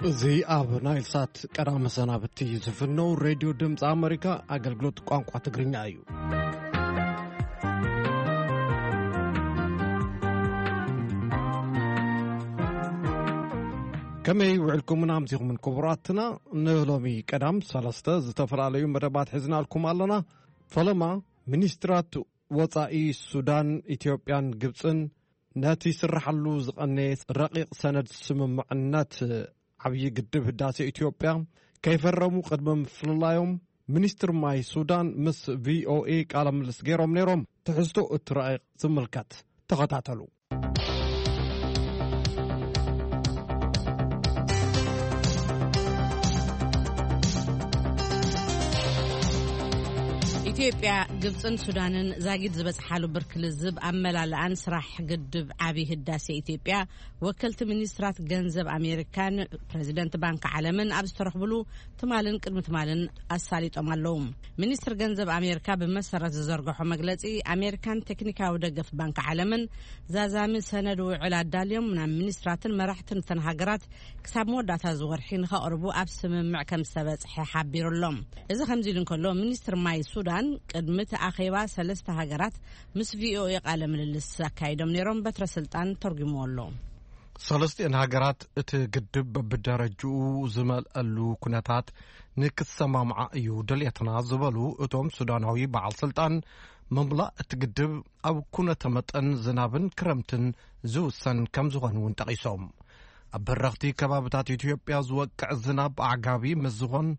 እዚ ኣብ ናይል ሳት ቀዳመ ሰናብቲ ዝፍነው ሬድዮ ድምፂ ኣመሪካ ኣገልግሎት ቋንቋ ትግርኛ እዩ። ከመይ ውዕልኩምን ኣምሲኹምን ክቡራትና? ንሎሚ ቀዳም ሰለስተ ዝተፈላለዩ መደባት ሒዝናልኩም ኣለና። ፈለማ፣ ሚኒስትራት ወጻኢ ሱዳን፣ ኢትዮጵያን ግብጽን ነቲ ስራሓሉ ዝቐነየ ረቂቕ ሰነድ ስምምዕነት ዓብዪ ግድብ ህዳሴ ኢትዮጵያ ከይፈረሙ ቅድሚ ምፍልላዮም፣ ሚኒስትር ማይ ሱዳን ምስ ቪ ኦ ኤ ቃለ ምልልስ ገይሮም ነይሮም። ትሕዝቶ እቲ ረቂቕ ዝምልከት ተኸታተሉ። ኢትዮጵያ፣ ግብጽን ሱዳንን ዛጊድ ዝበጽሓሉ ብርኪ ልዝብ ኣመላልኣን ስራሕ ግድብ ዓቢ ህዳሴ ኢትዮጵያ ወከልቲ ሚኒስትራት ገንዘብ ኣሜሪካን ፕረዚደንት ባንክ ዓለምን ኣብ ዝተረኽብሉ ትማልን ቅድሚ ትማልን ኣሳሊጦም ኣለዉ። ሚኒስትር ገንዘብ ኣሜሪካ ብመሰረት ዝዘርግሖ መግለጺ፣ ኣሜሪካን ቴክኒካዊ ደገፍ ባንክ ዓለምን ዛዛሚ ሰነድ ውዕል ኣዳልዮም ናብ ሚኒስትራትን መራሕትን እተን ሃገራት ክሳብ መወዳእታ እዚ ወርሒ ንኸቕርቡ ኣብ ስምምዕ ከም ዝተበጽሐ ሓቢሩ ኣሎ። እዚ ከምዚ ኢሉ እንከሎ፣ ሚኒስትር ማይ ሱዳን ቅድሚ እቲ ኣኼባ ሰለስተ ሃገራት ምስ ቪ ኦ ኤ ቃለ ምልልስ ኣካይዶም ነይሮም። በትረ ስልጣን ተርጉምዎ ኣሎ። ሰለስቲኤን ሃገራት እቲ ግድብ በብደረጅኡ ዝመልአሉ ኩነታት ንክሰማምዓ እዩ ድልየትና ዝበሉ እቶም ሱዳናዊ በዓል ስልጣን፣ ምምላእ እቲ ግድብ ኣብ ኩነተ መጠን ዝናብን ክረምትን ዝውሰን ከም ዝኾነ እውን ጠቒሶም። ኣብ በረኽቲ ከባብታት ኢትዮጵያ ዝወቅዕ ዝናብ ኣዕጋቢ ምስ ዝኾን፣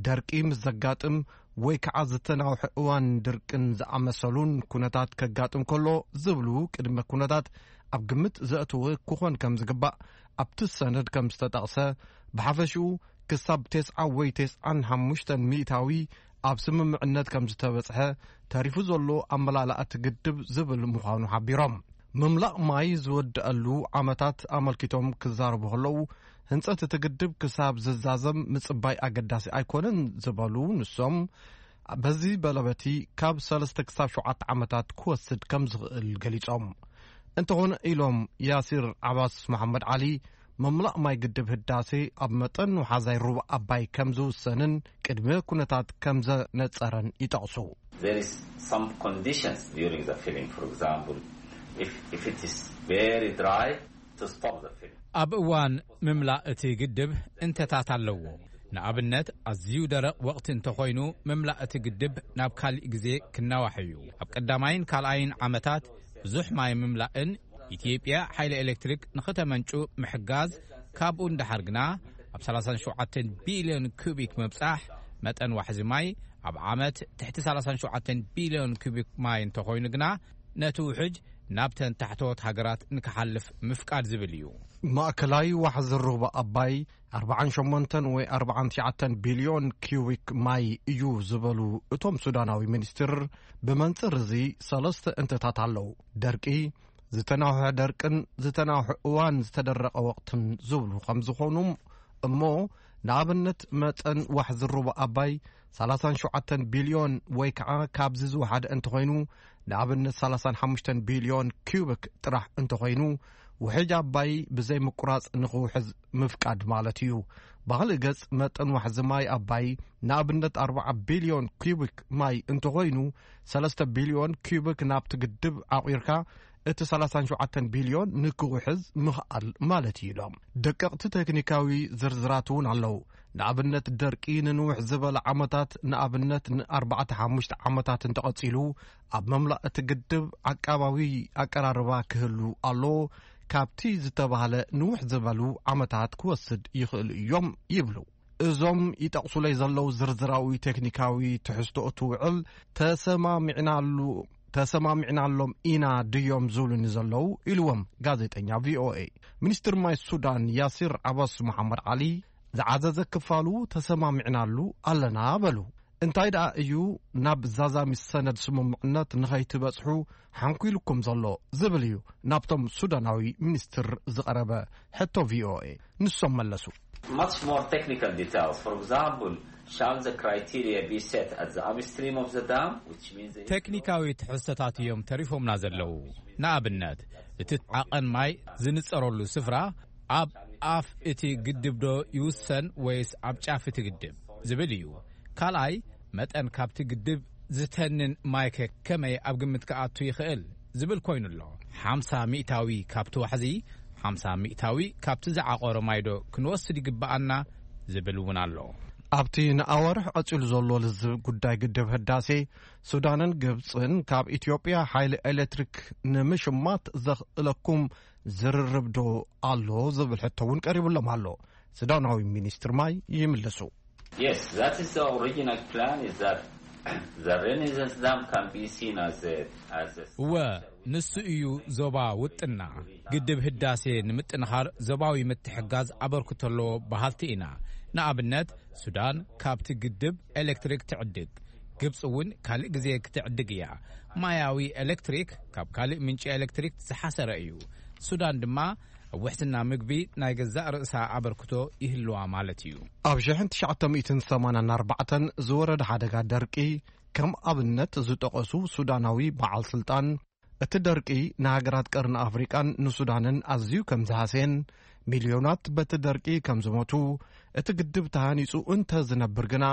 ደርቂ ምስ ዘጋጥም ወይ ከዓ ዝተናውሐ እዋን ድርቅን ዝኣመሰሉን ኩነታት ከጋጥም ከሎ ዝብሉ ቅድመ ኩነታት ኣብ ግምት ዘእተወ ክኾን ከም ዝግባእ ኣብቲ ሰነድ ከም ዝተጠቕሰ፣ ብሓፈሽኡ ክሳብ ተስዓ ወይ ተስዓን ሓሙሽተን ሚእታዊ ኣብ ስምምዕነት ከም ዝተበጽሐ፣ ተሪፉ ዘሎ ኣመላልኣ እቲ ግድብ ዝብል ምዃኑ ሓቢሮም። ምምላእ ማይ ዝወደአሉ ዓመታት ኣመልኪቶም ክዛረቡ ከለዉ፣ ህንጸት እቲ ግድብ ክሳብ ዝዛዘም ምጽባይ ኣገዳሲ ኣይኮነን ዝበሉ ንሶም፣ በዚ በለበቲ ካብ ሰለስተ ክሳብ ሸውዓተ ዓመታት ክወስድ ከም ዝኽእል ገሊጾም። እንተኾነ ኢሎም ያሲር ዓባስ መሓመድ ዓሊ፣ ምምላእ ማይ ግድብ ህዳሴ ኣብ መጠን ውሓዛይ ሩባ ኣባይ ከም ዝውሰንን ቅድመ ኩነታት ከም ዘነጸረን ይጠቕሱ። There is some conditions during the filling, for example, if, if it is very dry, to stop the filling. ኣብ እዋን ምምላእ እቲ ግድብ እንተታት ኣለዎ። ንኣብነት፣ ኣዝዩ ደረቕ ወቕቲ እንተኾይኑ፣ ምምላእ እቲ ግድብ ናብ ካሊእ ግዜ ክናዋሕ እዩ። ኣብ ቀዳማይን ካልኣይን ዓመታት ብዙሕ ማይ ምምላእን ኢትዮጵያ ሓይሊ ኤሌክትሪክ ንኽተመንጩ ምሕጋዝ፣ ካብኡ ንደሓር ግና ኣብ ሰላሳን ሸውዓተን ቢልዮን ኪዩቢክ ምብጻሕ፣ መጠን ዋሕዚ ማይ ኣብ ዓመት ትሕቲ ሰላሳን ሸውዓተን ቢልዮን ኪዩቢክ ማይ እንተኾይኑ ግና፣ ነቲ ውሕጅ ናብተን ታሕተዎት ሃገራት ንክሓልፍ ምፍቃድ ዝብል እዩ። ማእከላይ ዋሕዚ ሩባ ኣባይ ኣርባዓን ሸሞንተን ወይ ኣርባዓን ትሽዓተን ቢልዮን ኪዩቢክ ማይ እዩ ዝበሉ እቶም ሱዳናዊ ሚኒስትር፣ ብመንጽር እዚ ሰለስተ እንተታት ኣለዉ። ደርቂ፣ ዝተናውሐ ደርቅን ዝተናውሐ እዋን ዝተደረቐ ወቕትን ዝብሉ ከም ዝኾኑ፣ እሞ ንኣብነት መጠን ዋሕዚ ሩባ ኣባይ ሰላሳን ሸውዓተን ቢልዮን ወይ ከዓ ካብዚ ዝወሓደ እንተኾይኑ፣ ንኣብነት ሰላሳን ሓሙሽተን ቢልዮን ኪዩቢክ ጥራሕ እንተኾይኑ፣ ውሕጅ ኣባይ ብዘይ ምቁራጽ ንኽውሕዝ ምፍቃድ ማለት እዩ። ብኻልእ ገጽ፣ መጠን ዋሕዚ ማይ ኣባይ ንኣብነት ኣርባዓ ቢልዮን ኪዩቢክ ማይ እንተኾይኑ፣ ሰለስተ ቢልዮን ኪዩቢክ ናብቲ ግድብ ዓቑርካ እቲ ሰላሳን ሸውዓተን ቢልዮን ንክውሕዝ ምኽኣል ማለት እዩ ኢሎም። ደቀቕቲ ቴክኒካዊ ዝርዝራት እውን ኣለዉ። ንኣብነት ደርቂ ንንውሕ ዝበለ ዓመታት፣ ንኣብነት ንኣርባዕተ ሓሙሽተ ዓመታት እንተቐጺሉ፣ ኣብ መምላእ እቲ ግድብ ዓቃባዊ ኣቀራርባ ክህሉ ኣለዎ። ካብቲ ዝተባህለ ንውሕ ዝበሉ ዓመታት ክወስድ ይኽእሉ እዮም ይብሉ። እዞም ይጠቕሱለይ ዘለዉ ዝርዝራዊ ቴክኒካዊ ትሕዝቶ እቲ ውዕል ተሰማሚዕናሉ፣ ተሰማሚዕናሎም ኢና ድዮም ዝብሉኒ ዘለዉ? ኢልዎም ጋዜጠኛ ቪ ኦ ኤ። ሚኒስትር ማይ ሱዳን ያሲር ዓባስ መሓመድ ዓሊ ዝዓዘዘ ክፋሉ ተሰማሚዕናሉ ኣለና በሉ። እንታይ ደኣ እዩ ናብ ዛዛሚ ሰነድ ስምምዕነት ንኸይትበጽሑ ሓንኲልኩም ዘሎ ዝብል እዩ ናብቶም ሱዳናዊ ሚኒስትር ዝቐረበ ሕቶ ቪ ኦ ኤ። ንሶም መለሱ። Much more technical details. For example, shall the criteria be set at the upstream of the dam, which means the ቴክኒካዊ ትሕዝቶታት እዮም ተሪፎምና ዘለዉ። ንኣብነት፣ እቲ ዓቐን ማይ ዝንጸረሉ ስፍራ ኣብ ኣፍ እቲ ግድብ ዶ ይውሰን ወይስ ኣብ ጫፍ እቲ ግድብ ዝብል እዩ። ካልኣይ፣ መጠን ካብቲ ግድብ ዝተንን ማይከ ከመይ ኣብ ግምት ክኣቱ ይኽእል ዝብል ኮይኑ ኣሎ። ሓምሳ ሚእታዊ ካብቲ ዋሕዚ፣ ሓምሳ ሚእታዊ ካብቲ ዝዓቆረ ማይ ዶ ክንወስድ ይግብኣና ዝብል እውን ኣሎ። ኣብቲ ንኣዋርሕ ቀጺሉ ዘሎ ልዝብ ጉዳይ ግድብ ህዳሴ፣ ሱዳንን ግብጽን ካብ ኢትዮጵያ ሓይሊ ኤሌክትሪክ ንምሽማት ዘኽእለኩም ዝርርብ ዶ ኣሎ ዝብል ሕቶ እውን ቀሪቡሎም ኣሎ። ሱዳናዊ ሚኒስትር ማይ ይምልሱ። Yes, that is the original plan, is that the Renaissance Dam can be seen as a, as a እወ፣ ንሱ እዩ ዞባ ውጥና። ግድብ ህዳሴ ንምጥንኻር ዞባዊ ምትሕጋዝ ኣበርክቶ ኣለዎ በሃልቲ ኢና። ንኣብነት፣ ሱዳን ካብቲ ግድብ ኤሌክትሪክ ትዕድግ፣ ግብፂ እውን ካልእ ግዜ ክትዕድግ እያ። ማያዊ ኤሌክትሪክ ካብ ካልእ ምንጪ ኤሌክትሪክ ዝሓሰረ እዩ። ሱዳን ድማ ኣብ ውሕስና ምግቢ ናይ ገዛእ ርእሳ ኣበርክቶ ይህልዋ ማለት እዩ። ኣብ ሽሕን ትሽዓተ ሚእትን ሰማንያን ኣርባዕተን ዝወረደ ሓደጋ ደርቂ ከም ኣብነት ዝጠቐሱ ሱዳናዊ በዓል ስልጣን፣ እቲ ደርቂ ንሃገራት ቀርኒ ኣፍሪቃን ንሱዳንን ኣዝዩ ከም ዝሃስየን፣ ሚልዮናት በቲ ደርቂ ከም ዝሞቱ፣ እቲ ግድብ ተሃኒጹ እንተ ዝነብር ግና፣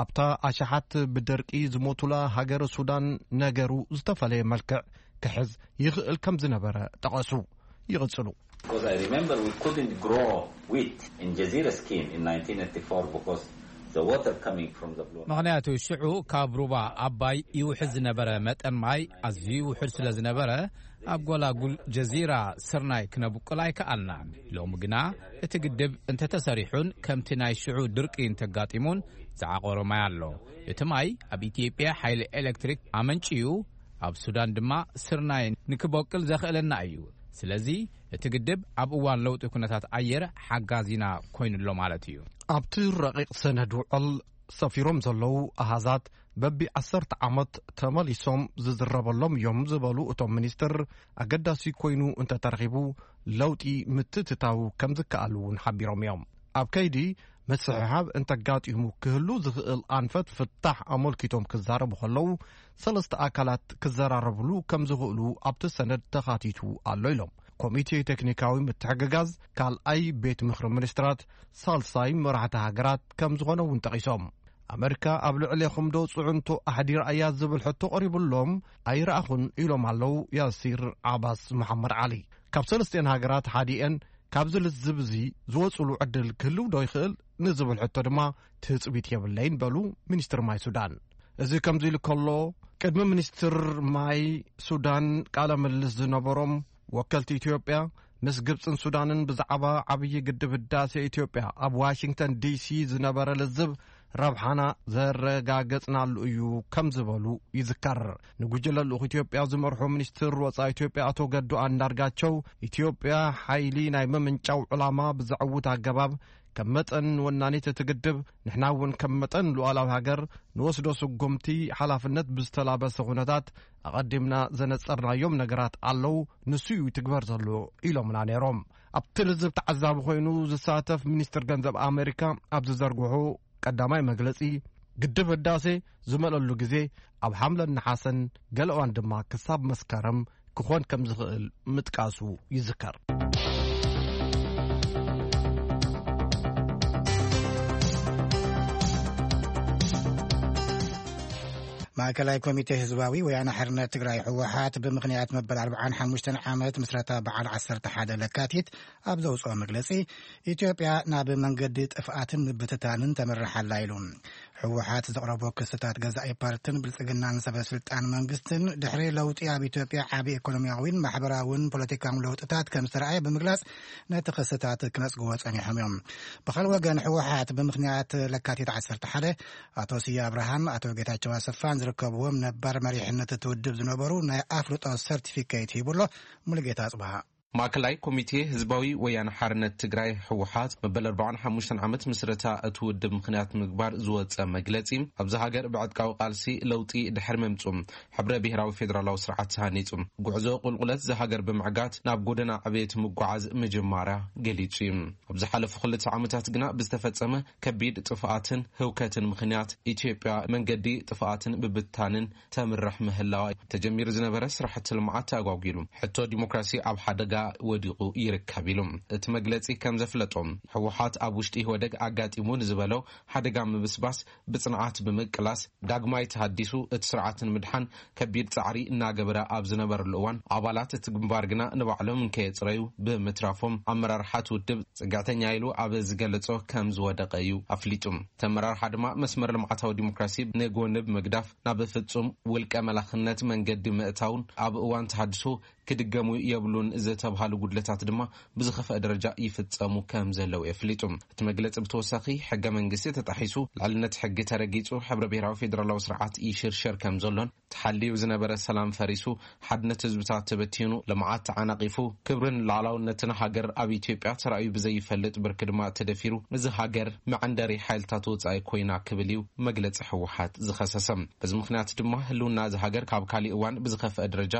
ኣብታ ኣሽሓት ብደርቂ ዝሞቱላ ሃገረ ሱዳን ነገሩ ዝተፈለየ መልክዕ ክሕዝ ይኽእል ከም ዝነበረ ጠቐሱ። ይቕጽሉ። Because I remember we couldn't grow wheat in Jazeera scheme in nineteen eighty-four because the water coming from the Blue Nile. ምኽንያቱ ሽዑ ካብ ሩባ ኣባይ ይውሕዝ ዝነበረ መጠን ማይ ኣዝዩ ውሑድ ስለ ዝነበረ፣ ኣብ ጎላጉል ጀዚራ ስርናይ ክነብቁል ኣይከኣልናን። ሎሚ ግና እቲ ግድብ እንተተሰሪሑን ከምቲ ናይ ሽዑ ድርቂ እንተጋጢሙን ዝዓቆሮ ማይ ኣሎ። እቲ ማይ ኣብ ኢትዮጵያ ሓይሊ ኤሌክትሪክ ኣመንጭዩ፣ ኣብ ሱዳን ድማ ስርናይ ንክበቁል ዘኽእለና እዩ። ስለዚ እቲ ግድብ ኣብ እዋን ለውጢ ኩነታት ኣየር ሓጋዚና ኮይኑሎ ማለት እዩ። ኣብቲ ረቂቕ ሰነድ ውዕል ሰፊሮም ዘለዉ ኣሃዛት በቢ ዓሰርተ ዓመት ተመሊሶም ዝዝረበሎም እዮም ዝበሉ እቶም ሚኒስትር፣ ኣገዳሲ ኮይኑ እንተተረኺቡ ለውጢ ምትእትታው ከም ዝከኣል እውን ሓቢሮም እዮም። ኣብ ከይዲ ምስሕሓብ እንተጋጢሙ ክህሉ ዝኽእል ኣንፈት ፍታሕ ኣመልኪቶም ክዛረቡ ከለዉ፣ ሰለስተ ኣካላት ክዘራረብሉ ከም ዝኽእሉ ኣብቲ ሰነድ ተኻቲቱ ኣሎ ኢሎም። ኮሚቴ ቴክኒካዊ ምትሕግጋዝ ካልኣይ ቤት ምኽሪ ሚኒስትራት ሳልሳይ መራሕቲ ሃገራት ከም ዝኾነ እውን ጠቒሶም። ኣመሪካ ኣብ ልዕሌኹም ዶ ጽዕንቶ ኣሕዲራ እያ ዝብል ሕቶ ቀሪቡሎም ኣይረኣኹን ኢሎም ኣለዉ ያሲር ዓባስ መሓመድ ዓሊ። ካብ ሰለስቲኤን ሃገራት ሓዲኤን ካብዚ ልዝብ እዚ ዝወጽሉ ዕድል ክህልው ዶ ይኽእል ንዝብል ሕቶ ድማ ትጽቢት የብለይን በሉ ሚኒስትር ማይ ሱዳን። እዚ ከምዚ ኢሉ ከሎ፣ ቅድሚ ሚኒስትር ማይ ሱዳን ቃለ ምልልስ ዝነበሮም ወከልቲ ኢትዮጵያ ምስ ግብጽን ሱዳንን ብዛዕባ ዓብዪ ግድብ ህዳሴ ኢትዮጵያ ኣብ ዋሽንግተን ዲሲ ዝነበረ ልዝብ ረብሓና ዘረጋገጽናሉ እዩ ከም ዝበሉ ይዝከር። ንጉጅለ ልኡኽ ኢትዮጵያ ዝመርሑ ሚኒስትር ወጻኢ ኢትዮጵያ ኣቶ ገዱ ኣንዳርጋቸው፣ ኢትዮጵያ ሓይሊ ናይ ምምንጫው ዕላማ ብዘዕውት ኣገባብ ከም መጠን ወናኒት እቲ ግድብ፣ ንሕና እውን ከም መጠን ሉዓላዊ ሃገር ንወስዶ ስጉምቲ ሓላፍነት ብዝተላበሰ ኩነታት ኣቐዲምና ዘነጸርናዮም ነገራት ኣለዉ፣ ንሱ እዩ ይትግበር ዘሎ ኢሎምና ነይሮም። ኣብቲ ልዝብ ተዓዛቢ ኮይኑ ዝሳተፍ ሚኒስትር ገንዘብ ኣሜሪካ ኣብ ዝዘርግሑ ቀዳማይ መግለጺ፣ ግድብ ህዳሴ ዝመለሉ ግዜ ኣብ ሓምለን ነሓሰን፣ ገለ እዋን ድማ ክሳብ መስከረም ክኾን ከም ዝኽእል ምጥቃሱ ይዝከር። ማእከላይ ኮሚቴ ህዝባዊ ወያነ ሓርነት ትግራይ፣ ህወሓት፣ ብምኽንያት መበል ኣርብዓን ሓሙሽተን ዓመት ምስረታ በዓል ዓሰርተ ሓደ ለካቲት ኣብ ዘውፅኦ መግለፂ፣ ኢትዮጵያ ናብ መንገዲ ጥፍኣትን ምብትታንን ተምርሕ ኣላ ኢሉ። ህወሓት ዘቕረቦ ክስታት ገዛኢ ፓርትን ብልፅግናን ሰበ ስልጣን መንግስትን ድሕሪ ለውጢ ኣብ ኢትዮጵያ ዓቢ ኢኮኖሚያዊን ማሕበራውን ፖለቲካውን ለውጥታት ከም ዝተረኣየ ብምግላጽ፣ ነቲ ክስታት ክነጽግዎ ጸኒሖም እዮም። ብኻልእ ወገን፣ ህወሓት ብምኽንያት ለካቲት ዓሰርተ ሓደ ኣቶ ስየ ኣብርሃን ኣቶ ጌታቸው ኣሰፋን ዝርከብዎም ነባር መሪሕነት እቲ ውድብ ዝነበሩ ናይ ኣፍልጦ ሰርቲፊኬት ሂቡ ኣሎ። ሙሉጌታ ኣጽብሃ። ማእከላይ ኮሚቴ ህዝባዊ ወያነ ሓርነት ትግራይ፣ ህወሓት፣ መበል ኣርባዓን ሓሙሽተን ዓመት ምስረታ እቲ ውድብ ምኽንያት ምግባር ዝወጸ መግለጺ፣ ኣብዚ ሃገር ብዕጥቃዊ ቃልሲ ለውጢ ድሕሪ ምምጹ፣ ሕብረ ብሄራዊ ፌደራላዊ ስርዓት ተሃኒጹ፣ ጉዕዞ ቁልቁለት እዛ ሃገር ብምዕጋት ናብ ጎደና ዕብየት ምጉዓዝ ምጅማራ ገሊጹ እዩ። ኣብ ዝሓለፉ ክልተ ዓመታት ግና ብዝተፈጸመ ከቢድ ጥፍኣትን ህውከትን ምኽንያት ኢትዮጵያ መንገዲ ጥፍኣትን ብብታንን ተምርሕ ምህላዋ፣ ተጀሚሩ ዝነበረ ስራሕቲ ልምዓት ተኣጓጒሉ፣ ሕቶ ዲሞክራሲ ኣብ ሓደጋ ወዲቑ ይርከብ ኢሉ። እቲ መግለጺ ከም ዘፍለጦ፣ ህወሓት ኣብ ውሽጢ ኢህወደግ ኣጋጢሙ ንዝበሎ ሓደጋ ምብስባስ ብጽንዓት ብምቅላስ፣ ዳግማይ ተሃዲሱ እቲ ስርዓት ንምድሓን ከቢድ ጻዕሪ እናገበረ ኣብ ዝነበረሉ እዋን፣ ኣባላት እቲ ግንባር ግና ንባዕሎም እንከየጽረዩ ብምትራፎም፣ ኣመራርሓ እቲ ውድብ ጽግዕተኛ ኢሉ ኣብ ዝገለጾ ከም ዝወደቐ እዩ ኣፍሊጡ። እቲ ኣመራርሓ ድማ መስመር ልምዓታዊ ዲሞክራሲ ንጎኒ ብምግዳፍ፣ ናብ ፍጹም ውልቀ መላኽነት መንገዲ ምእታውን ኣብ እዋን ተሃድሶ ክድገሙ የብሉን ዝተብሃሉ ጉድለታት ድማ ብዝኸፍአ ደረጃ ይፍጸሙ ከም ዘለዉ የፍሊጡ። እቲ መግለጺ ብተወሳኺ፣ ሕገ መንግስቲ ተጣሒሱ፣ ልዕልነት ሕጊ ተረጊጹ፣ ሕብረ ብሔራዊ ፌደራላዊ ስርዓት ይሽርሸር ከም ዘሎን፣ ተሓልዩ ዝነበረ ሰላም ፈሪሱ፣ ሓድነት ህዝብታት ተበቲኑ፣ ልምዓት ተዓናቒፉ፣ ክብርን ሉዓላውነትን ሃገር ኣብ ኢትዮጵያ ተራእዩ ብዘይፈልጥ ብርኪ ድማ ተደፊሩ፣ እዚ ሃገር መዐንደሪ ሓይልታት ወጻኢ ኮይና ክብል እዩ መግለጺ ህወሓት ዝኸሰሰ። በዚ ምኽንያት ድማ ህልውና እዚ ሃገር ካብ ካሊእ እዋን ብዝኸፍአ ደረጃ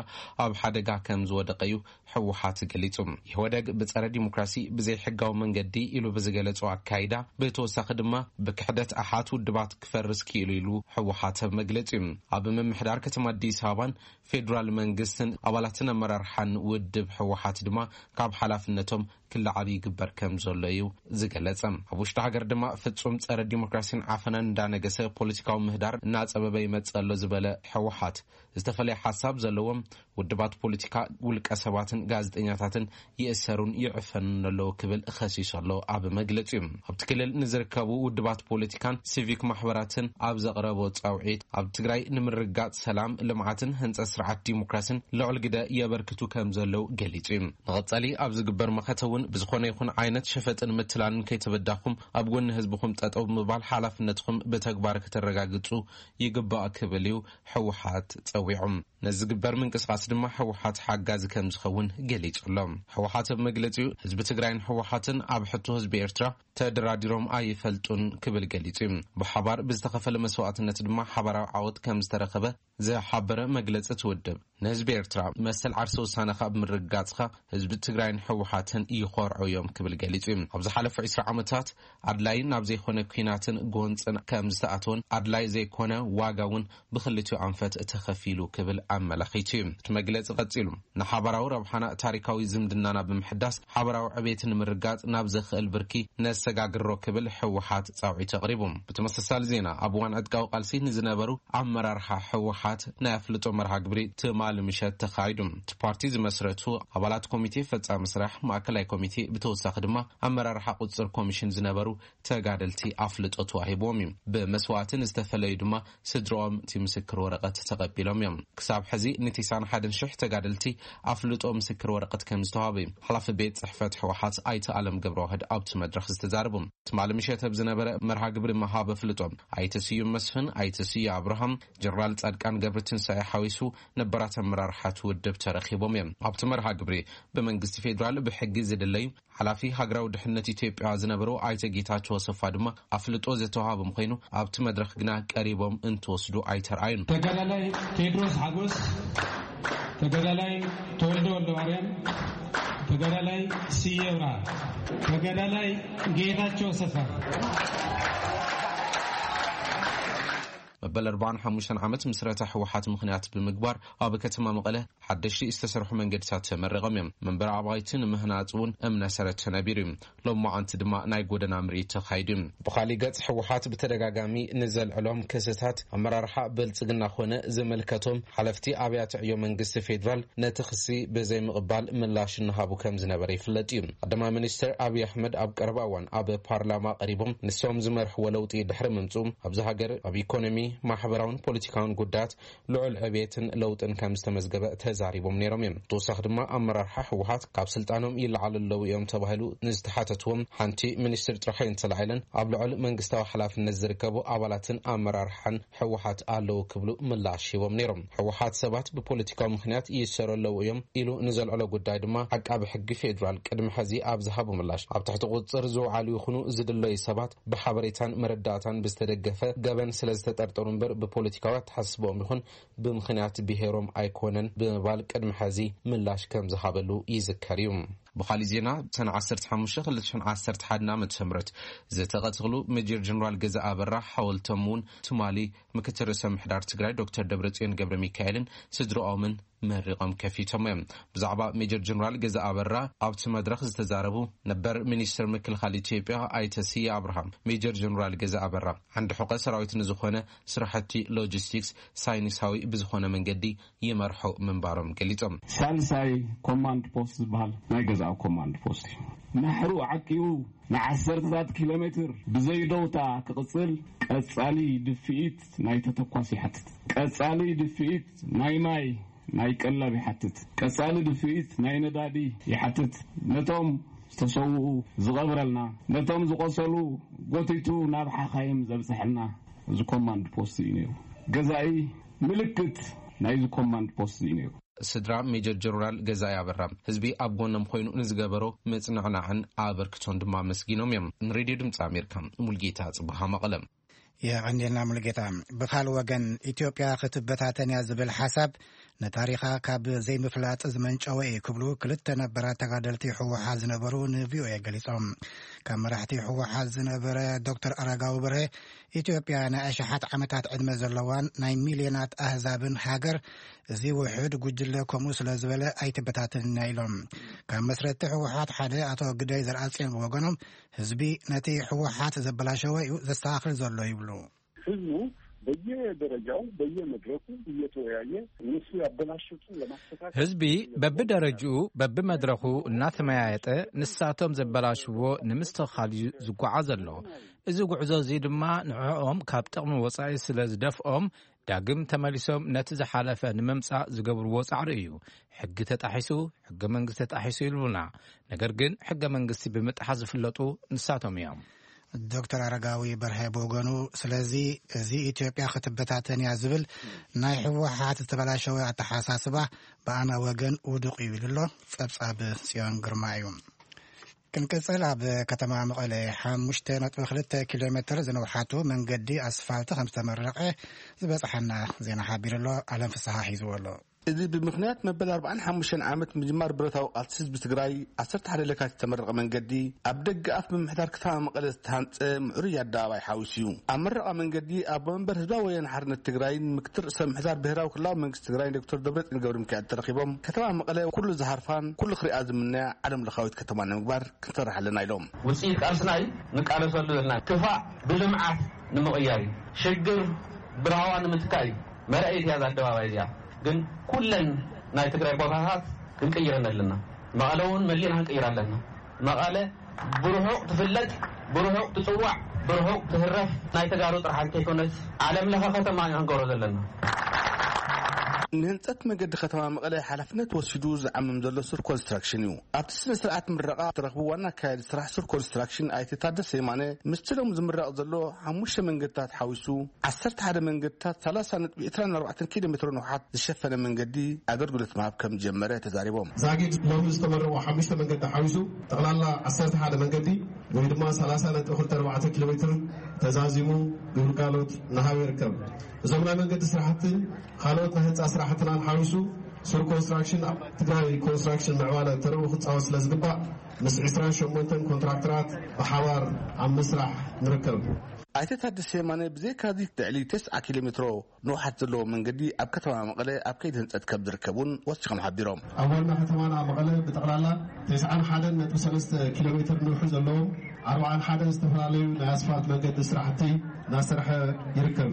ኣብ ሓደጋ ከም ዝወደቀ እዩ ህወሓት ገሊጹ። ኢህወደግ ብጸረ ዲሞክራሲ፣ ብዘይሕጋዊ መንገዲ ኢሉ ብዝገለጾ ኣካይዳ፣ ብተወሳኺ ድማ ብክሕደት ኣሓት ውድባት ክፈርስ ክኢሉ ኢሉ ህወሓት ኣብ መግለጺኡ። ኣብ ምምሕዳር ከተማ ኣዲስ ኣበባን ፌዴራል መንግስትን ኣባላትን ኣመራርሓን ውድብ ህወሓት ድማ ካብ ሓላፍነቶም ክለዓሉ ይግበር ከም ዘሎ እዩ ዝገለጸ። ኣብ ውሽጢ ሃገር ድማ ፍጹም ጸረ ዲሞክራሲን ዓፈናን እንዳነገሰ ፖለቲካዊ ምህዳር እናጸበበ ይመጽእ ኣሎ ዝበለ ህወሓት፣ ዝተፈላለየ ሓሳብ ዘለዎም ውድባት ፖለቲካ፣ ውልቀ ሰባትን ጋዜጠኛታትን ይእሰሩን ይዕፈኑን ኣለዉ ክብል ከሲሱ ኣሎ ኣብ መግለጺኡ። ኣብቲ ክልል ንዝርከቡ ውድባት ፖለቲካን ሲቪክ ማሕበራትን ኣብ ዘቕረቦ ጻውዒት፣ ኣብ ትግራይ ንምርግጋጽ ሰላም፣ ልምዓትን ህንጸት ስርዓት ዲሞክራሲን ልዑል ግደ የበርክቱ ከም ዘለዉ ገሊጹ እዩ። ንቐጻሊ ኣብ ዝግበር መኸተ እውን ብዝኾነ ይኹን ዓይነት ሸፈጥን ምትላልን ከይተበዳኹም ኣብ ጎኒ ህዝብኹም ጠጠው ብምባል ሓላፍነትኹም ብተግባር ከተረጋግጹ ይግባእ ክብል እዩ ህወሓት ጸዊዑ። ነዚ ዝግበር ምንቅስቓስ ድማ ህወሓት ሓጋዚ ከም ዝኸውን ገሊጹ ኣሎ። ህወሓት ኣብ መግለጺኡ፣ ህዝቢ ትግራይን ህወሓትን ኣብ ሕቶ ህዝቢ ኤርትራ ተደራዲሮም ኣይፈልጡን ክብል ገሊጹ እዩ። ብሓባር ብዝተኸፈለ መስዋእትነት ድማ ሓባራዊ ዓወት ከም ዝተረኸበ ዝሓበረ መግለጺ እቲ ውድብ፣ ንህዝቢ ኤርትራ መሰል ዓርሰ ውሳነኻ ብምርግጋጽኻ ህዝቢ ትግራይን ህወሓትን ይኾርዑ እዮም ክብል ገሊጹ እዩ። ኣብ ዝሓለፉ ዕስራ ዓመታት ኣድላይን ናብ ዘይኮነ ኲናትን ጎንጽን ከም ዝተኣተወን ኣድላይ ዘይኮነ ዋጋ እውን ብኽልቲኡ ኣንፈት ተኸፊሉ ክብል ኣመላኺቱ እዩ። እቲ መግለጺ ቀጺሉ፣ ንሓባራዊ ረብሓና ታሪካዊ ዝምድናና ብምሕዳስ ሓባራዊ ዕቤት ንምርጋጽ ናብ ዘኽእል ብርኪ ነሰጋግሮ ክብል ህወሓት ጻውዒት ኣቕሪቡ። ብተመሳሳሊ ዜና፣ ኣብ እዋን ዕጥቃዊ ቃልሲ ንዝነበሩ ኣመራርሓ ህወሓት ናይ ኣፍልጦ መርሃ ግብሪ ትማሊ ምሸት ተኻይዱ። እቲ ፓርቲ ዝመስረቱ ኣባላት ኮሚቴ ፈጻሚ ስራሕ ማእከላይ ኮሚቴ፣ ብተወሳኺ ድማ ኣመራርሓ ቁጽር ኮሚሽን ዝነበሩ ተጋደልቲ ኣፍልጦ ተዋሂብዎም እዩ። ብመስዋእቲ ንዝተፈለዩ ድማ ስድርኦም እቲ ምስክር ወረቐት ተቐቢሎም እዮም። ክሳብ ሕዚ ንተስዓን ሓደን ሽሕ ተጋደልቲ ኣፍልጦ ምስክር ወረቐት ከም ዝተዋህበ እዩ ሓላፊ ቤት ጽሕፈት ህወሓት ኣይተ ኣለም ገብረዋህድ ኣብቲ መድረኽ ዝተዛረቡ። ትማሊ ምሸት ኣብ ዝነበረ መርሃ ግብሪ መሃብ ኣፍልጦ፣ ኣይተ ስዩም መስፍን፣ ኣይተ ስዩ ኣብርሃም፣ ጀነራል ጻድቃን ገብረትንሳኤ ሓዊሱ ነባራት ኣመራርሓ እቲ ውድብ ተረኺቦም እዮም። ኣብቲ መርሃ ግብሪ ብመንግስቲ ፌዴራል ብሕጊ ዝድለዩ ሓላፊ ሃገራዊ ድሕነት ኢትዮጵያ ዝነበሩ ኣይተ ጌታቸው ኣሰፋ ድማ ኣፍልጦ ዝተዋሃቦም ኮይኑ፣ ኣብቲ መድረኽ ግና ቀሪቦም እንትወስዱ ኣይተርኣዩን። ተጋዳላይ ቴድሮስ ሓጎስ፣ ተጋዳላይ ተወልደ ወልደማርያም፣ ተጋዳላይ ስየ ብርሃ፣ ተጋዳላይ ጌታቸው ኣሰፋ። መበል ኣርባዓን ሓሙሽተን ዓመት ምስረታ ህወሓት ምኽንያት ብምግባር፣ ኣብ ከተማ መቐለ ሓደሽቲ ዝተሰርሑ መንገድታት ተመሪቖም እዮም። መንበሪ ኣባይቲ ንምህናፅ እውን እምነ ሰረት ተነቢሩ እዩ። ሎማዓንቲ ድማ ናይ ጎደና ምርኢት ተኻይዱ እዩ። ብኻሊእ ገፅ፣ ህወሓት ብተደጋጋሚ ንዘልዕሎም ክስታት ኣመራርሓ ብልፅግና ኮነ ዝምልከቶም ሓለፍቲ ኣብያተ ዕዮ መንግስቲ ፌዴራል ነቲ ክሲ ብዘይምቕባል ምላሽ እናሃቡ ከም ዝነበረ ይፍለጥ እዩ። ቀዳማይ ሚኒስትር ኣብይ ኣሕመድ ኣብ ቀረባ እዋን ኣብ ፓርላማ ቀሪቦም ንሶም ዝመርሕዎ ለውጢ ድሕሪ ምምፅኡ፣ ኣብዚ ሃገር ኣብ ኢኮኖሚ፣ ማሕበራውን ፖለቲካውን ጉዳያት ልዑል ዕብየትን ለውጥን ከም ዝተመዝገበ ተዛሪቦም ነይሮም እዮም። ብተወሳኺ ድማ ኣመራርሓ ህወሓት ካብ ስልጣኖም ይለዓሉ ኣለዉ እዮም ተባሂሉ ንዝተሓተትዎም ሓንቲ ሚኒስትር ጥራሕ እየን ተላዒለን ኣብ ልዑል መንግስታዊ ሓላፍነት ዝርከቡ ኣባላትን ኣመራርሓን ህወሓት ኣለዉ ክብሉ ምላሽ ሂቦም ነይሮም። ህወሓት ሰባት ብፖለቲካዊ ምኽንያት ይእሰሩ ኣለዉ እዮም ኢሉ ንዘልዕሎ ጉዳይ ድማ ዓቃቢ ሕጊ ፌዴራል ቅድሚ ሕዚ ኣብ ዝሃቦ ምላሽ፣ ኣብ ትሕቲ ቁፅፅር ዝውዓሉ ይኹኑ ዝድለዩ ሰባት ብሓበሬታን መረዳእታን ብዝተደገፈ ገበን ስለ ዝተጠርጠሩ እምበር ብፖለቲካዊ ኣተሓሳስባኦም ይኹን ብምኽንያት ብሄሮም ኣይኮነን ብምባል ቅድሚ ሕዚ ምላሽ ከም ዝሃበሉ ይዝከር እዩ። ብኻሊእ ዜና፣ ሰነ ዓሰርተ ሓሙሽተ ክልተ ሽሕን ዓሰርተ ሓደን ዓመተ ምህረት ዝተቐተሉ ሜጀር ጀነራል ገዛ ኣበራ ሓወልቶም እውን ትማሊ ምክትል ርእሰ ምሕዳር ትግራይ ዶክተር ደብረጽዮን ገብረ ሚካኤልን ስድራኦምን መሪቖም ከፊቶም እዮም። ብዛዕባ ሜጀር ጀነራል ገዛ ኣበራ ኣብቲ መድረኽ ዝተዛረቡ ነበር ሚኒስትር ምክልኻል ኢትዮጵያ ኣይተ ስየ ኣብርሃም፣ ሜጀር ጀነራል ገዛ ኣበራ ዓንዲ ሕቆ ሰራዊት ንዝኾነ ስራሕቲ ሎጂስቲክስ ሳይንሳዊ ብዝኾነ መንገዲ ይመርሑ ምንባሮም ገሊጾም። ሳልሳይ ኮማንድ ፖስት ዝበሃል ናይ ገዛእ ኮማንድ ፖስት እዩ። ናሕሩ ዓቂቡ ንዓሰርተታት ኪሎ ሜትር ብዘይደውታ ክቕጽል ቀጻሊ ድፍኢት ናይ ተተኳስ ይሓትት። ቀጻሊ ድፍኢት ናይ ማይ፣ ናይ ቀለብ ይሓትት። ቀጻሊ ድፍኢት ናይ ነዳዲ ይሓትት። ነቶም ዝተሰውኡ ዝቐብረልና፣ ነቶም ዝቆሰሉ ጎቲቱ ናብ ሓኻይም ዘብጽሐልና እዚ ኮማንድ ፖስት እዩ ነይሩ። ገዛኢ ምልክት ናይዚ ኮማንድ ፖስት እዩ ነይሩ። ስድራ ሜጀር ጀነራል ገዛኢ ኣበራ፣ ህዝቢ ኣብ ጎኖም ኮይኑ ንዝገበሮ ምጽንዕናዕን ኣበርክቶን ድማ ኣመስጊኖም እዮም። ንሬድዮ ድምፂ ኣሜሪካ፣ ሙልጌታ ጽብሃ፣ መቐለ። የቐንየልና ሙልጌታ። ብኻል ወገን፣ ኢትዮጵያ ክትበታተን እያ ዝብል ሓሳብ ንታሪኻ ካብ ዘይምፍላጥ ዝመንጨወ እዩ ክብሉ ክልተ ነበራት ተጋደልቲ ህወሓት ዝነበሩ ን ቪ ኦ ኤ ገሊጾም። ካብ መራሕቲ ህወሓት ዝነበረ ዶክተር ኣረጋዊ በርሀ፣ ኢትዮጵያ ናይ ኣሽሓት ዓመታት ዕድመ ዘለዋን ናይ ሚልዮናት ኣህዛብን ሃገር፣ እዚ ውሑድ ጉጅለ ከምኡ ስለ ዝበለ ኣይትበታተንን እያ ኢሎም። ካብ መስረቲ ህወሓት ሓደ ኣቶ ግደይ ዘርኣጽዮን ብወገኖም፣ ህዝቢ ነቲ ህወሓት ዘበላሸወ እዩ ዘስተኻኽል ዘሎ ይብሉ። ህዝቡ በየደረጃው በየመድረኩ እየተወያየ እነሱ ያበላሹትን ለማስተካከል ህዝቢ በብደረጅኡ በብመድረኹ እናተመያየጠ ንሳቶም ዘበላሽዎ ንምስትኽኻል እዩ ዝጓዓዝ ዘሎ። እዚ ጉዕዞ እዚ ድማ ንዕኦም ካብ ጥቕሚ ወፃኢ ስለ ዝደፍኦም ዳግም ተመሊሶም ነቲ ዝሓለፈ ንምምፃእ ዝገብርዎ ፃዕሪ እዩ። ሕጊ ተጣሒሱ፣ ሕገ መንግስቲ ተጣሒሱ ይብሉና። ነገር ግን ሕገ መንግስቲ ብምጥሓስ ዝፍለጡ ንሳቶም እዮም። ዶክተር ኣረጋዊ በርሀ ብወገኑ፣ ስለዚ እዚ ኢትዮጵያ ክትበታተን እያ ዝብል ናይ ህወሓት ዝተበላሸወ ኣተሓሳስባ ብኣና ወገን ውዱቕ እዩ ኢሉ ኣሎ። ጸብጻብ ጽዮን ግርማ እዩ። ክንቅጽል፣ ኣብ ከተማ መቐለ ሓሙሽተ ነጥቢ ክልተ ኪሎ ሜትር ዝነውሓቱ መንገዲ ኣስፋልት ከም ዝተመረቐ ዝበጽሓና ዜና ሓቢሩ ኣሎ። ኣለም ፍስሓ ሒዝዎ ኣሎ። እዚ ብምኽንያት መበል ኣርባዓን ሓሙሽተን ዓመት ምጅማር ብረታዊ ቃልሲ ህዝቢ ትግራይ ዓሰርተ ሓደ ለካቲት ዝተመረቐ መንገዲ ኣብ ደገ ኣፍ ምምሕዳር ከተማ መቐለ ዝተሃንፀ ምዕሩይ ኣደባባይ ሓዊሱ እዩ። ኣብ መረቓ መንገዲ ኣቦ መንበር ህዝባዊ ወያነ ሓርነት ትግራይን ምክትል ርእሰ ምምሕዳር ብሄራዊ ክልላዊ መንግስቲ ትግራይን ዶክተር ደብረፅዮን ገብረ ሚካኤል ተረኺቦም ከተማ መቐለ ኩሉ ዝሃርፋን ኩሉ ክሪኣ ዝምነያ ዓለም ለኻዊት ከተማ ንምግባር ክንሰርሕ ኣለና ኢሎም። ውፅኢት ቃልስና እዩ ንቃለሰሉ ዘለና። ክፋእ ብልምዓት ንምቕያር እዩ። ሽግር ብራህዋ ንምትካእ እዩ። መርኣይት እያ እዛ ኣደባባይ እዚኣ። ግን ኩለን ናይ ትግራይ ቦታታት ክንቅይረን ኣለና። መቐለ እውን መሊእና ክንቅይራ ኣለና። መቐለ ብርሑቕ ትፍለጥ፣ ብርሑቕ ትፅዋዕ፣ ብርሑቕ ትህረፍ ናይ ተጋሩ ጥራሕ እንተይኮነስ ዓለም ለኸ ከተማ ኢና ክንገብሮ ዘለና። ንህንፀት መገዲ ከተማ መቐለ ሓላፍነት ወሲዱ ዝዓምም ዘሎ ሱር ኮንስትራክሽን እዩ። ኣብቲ ስነ ስርዓት ምረቓ ዝተረኽቡ ዋና ኣካያዲ ስራሕ ሱር ኮንስትራክሽን ኣይተ ታደሰ የማነ፣ ምስቲ ሎም ዝምረቕ ዘሎ ሓሙሽተ መንገድታት ሓዊሱ ዓሰርተ ሓደ መንገድታት ሰላሳ ነጥቢ ዕስራን ኣርባዕተን ኪሎ ሜትሮ ንውሓት ዝሸፈነ መንገዲ ኣገልግሎት ምሃብ ከም ዝጀመረ ተዛሪቦም። ዛጊድ ሎም ዝተመረቑ ሓሙሽተ መንገዲ ሓዊሱ ጠቕላላ ዓሰርተ ሓደ መንገዲ ወይ ድማ ሰላሳ ነጥቢ ክልተ ኣርባዕተ ኪሎ ሜትር ተዛዚሙ ግልጋሎት እናሃበ ይርከብ። እዞም ናይ መንገዲ ስራሕትን ካልኦት ናይ ህንፃ ስራሕትናን ሓዊሱ ሱር ኮንስትራክሽን ኣብ ትግራይ ኮንስትራክሽን ምዕባለ ተርኡ ክፃወት ስለ ዝግባእ ምስ ዕስራን ሸሞንተን ኮንትራክተራት ብሓባር ኣብ ምስራሕ ንርከብ። ኣይተ ታደሰ የማነ ብዘይካዚ ልዕሊ ተስዓ ኪሎ ሜትሮ ንውሓት ዘለዎ መንገዲ ኣብ ከተማ መቐለ ኣብ ከይዲ ህንፀት ከም ዝርከብ እውን ወሲኾም ሓቢሮም። ኣብ ዋና ከተማና መቐለ ብጠቕላላ ተስዓን ሓደን ነጥቢ ሰለስተ ኪሎ ሜትር ንውሒ ዘለዎም ኣርባዓን ሓደን ዝተፈላለዩ ናይ ኣስፋልት መንገዲ ስራሕቲ እናሰርሐ ይርከብ።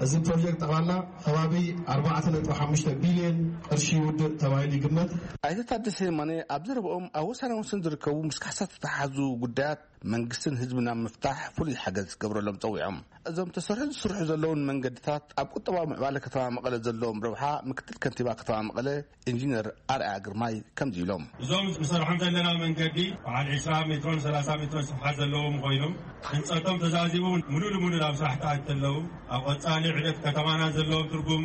እዚ ፕሮጀክት ጠቕላላ ከባቢ ኣርባዕተ ነጥቢ ሓሙሽተ ቢልዮን ቅርሺ ይውድእ ተባሂሉ ይግመት። ኣይተ ታደሰ የማነ ኣብ ዘረብኦም ኣብ ወሳናውስን ዝርከቡ ምስ ካሕሳ ዝተተሓዙ ጉዳያት መንግስትን ህዝብን ኣብ ምፍታሕ ፍሉይ ሓገዝ ክገብረሎም ፀዊዖም። እዞም ተሰርሑ ዝስርሑ ዘለውን መንገድታት ኣብ ቁጠባዊ ምዕባለ ከተማ መቐለ ዘለዎም ረብሓ ምክትል ከንቲባ ከተማ መቐለ ኢንጂነር ኣርኣያ ግርማይ ከምዚ ኢሎም። እዞም ንሰርሖም ዘለና መንገዲ በዓል ዕስራ ሜትሮን ሰላሳ ሜትሮን ስፍሓት ዘለዎም ኮይኖም ህንፀቶም ተዛዚሙ ሙሉእ ንሙሉእ ናብ ስራሕ ተኣት ኣለዉ። ኣብ ቐፃሊ ዕደት ከተማና ዘለዎም ትርጉም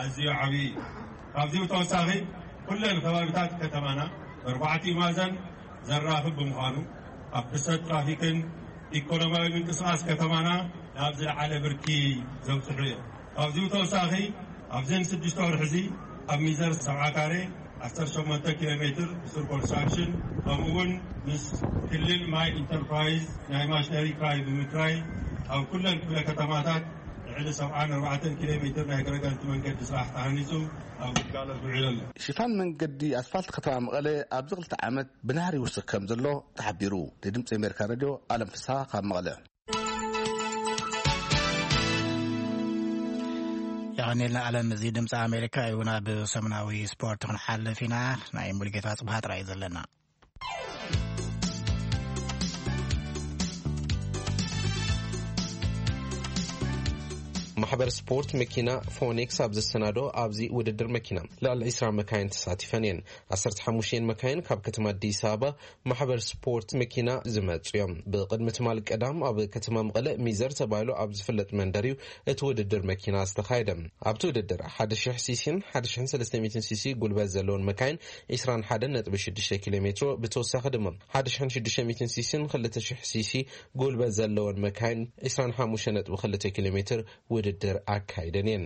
ኣዝዩ ዓብዪ እዩ። ካብዚ ብተወሳኺ ኩለን ከባቢታት ከተማና በርባዕቲኡ ማእዘን ዘራኽብ ብምዃኑ ኣብ ፍሰት ትራፊክን ኢኮኖሚያዊ ምንቅስቃስ ከተማና ናብ ዝለዓለ ብርኪ ዘብፅሑ እዮም። ካብዚ ብተወሳኺ ኣብዘን ስድሽተ ወርሒ እዚ ኣብ ሚዘር ሰብዓ ካሬ ዓሰርተ ሸሞንተ ኪሎ ሜትር ሱር ኮንስትራክሽን፣ ከምኡ እውን ምስ ክልል ማይ ኢንተርፕራይዝ ናይ ማሽነሪ ክራይ ብምክራይ፣ ኣብ ኩለን ክፍለ ከተማታት ልዕሊ ሰብዓን ኣርባዕተን ኪሎ ሜትር ናይ ገረጋንቲ መንገዲ ስራሕ ተሃኒፁ ኣብ ግልጋሎት ውዒሉ ኣሎ። ሽፋን መንገዲ ኣስፋልት ከተማ መቐለ ኣብዚ ክልተ ዓመት ብናህሪ ይውስኽ ከም ዘሎ ተሓቢሩ። ንድምፂ ኣሜሪካ ሬድዮ ኣለም ፍስሃ ካብ መቐለ። የቐኔልና ኣለም። እዚ ድምፂ ኣሜሪካ እዩ። ናብ ሰሙናዊ ስፖርት ክንሓልፍ ኢና። ናይ ሙሉጌታ ጽብሃ ጥራይ እዩ ዘለና። ማሕበር ስፖርት መኪና ፎኒክስ ኣብ ዘሰናዶ ኣብዚ ውድድር መኪና ልዕሊ ዒስራ መካይን ተሳቲፈን እየን። ዓሰርተ ሓሙሽተ መካይን ካብ ከተማ ኣዲስ ኣበባ ማሕበር ስፖርት መኪና ዝመጹ እዮም። ብቕድሚ ትማል ቀዳም ኣብ ከተማ መቐለ ሚዘር ተባሂሉ ኣብ ዝፍለጥ መንደር እዩ እቲ ውድድር መኪና ዝተኻየደ። ኣብቲ ውድድር ሓደ ሺሕ ሲሲን ሓደ ሺሕን ሰለስተ ሚእትን ሲሲ ጉልበት ዘለውን መካይን ዒስራን ሓደን ነጥቢ ሽዱሽተ ኪሎ ሜትሮ፣ ብተወሳኺ ድማ ሓደ ሺሕን ሽዱሽተ ሚእትን ሲሲን ክልተ ሺሕ ሲሲ ጉልበት ዘለውን መካይን ዒስራን ሓሙሽተ ነጥቢ ክልተ ኪሎ ሜትር ውድድር ኣካይደን እየን።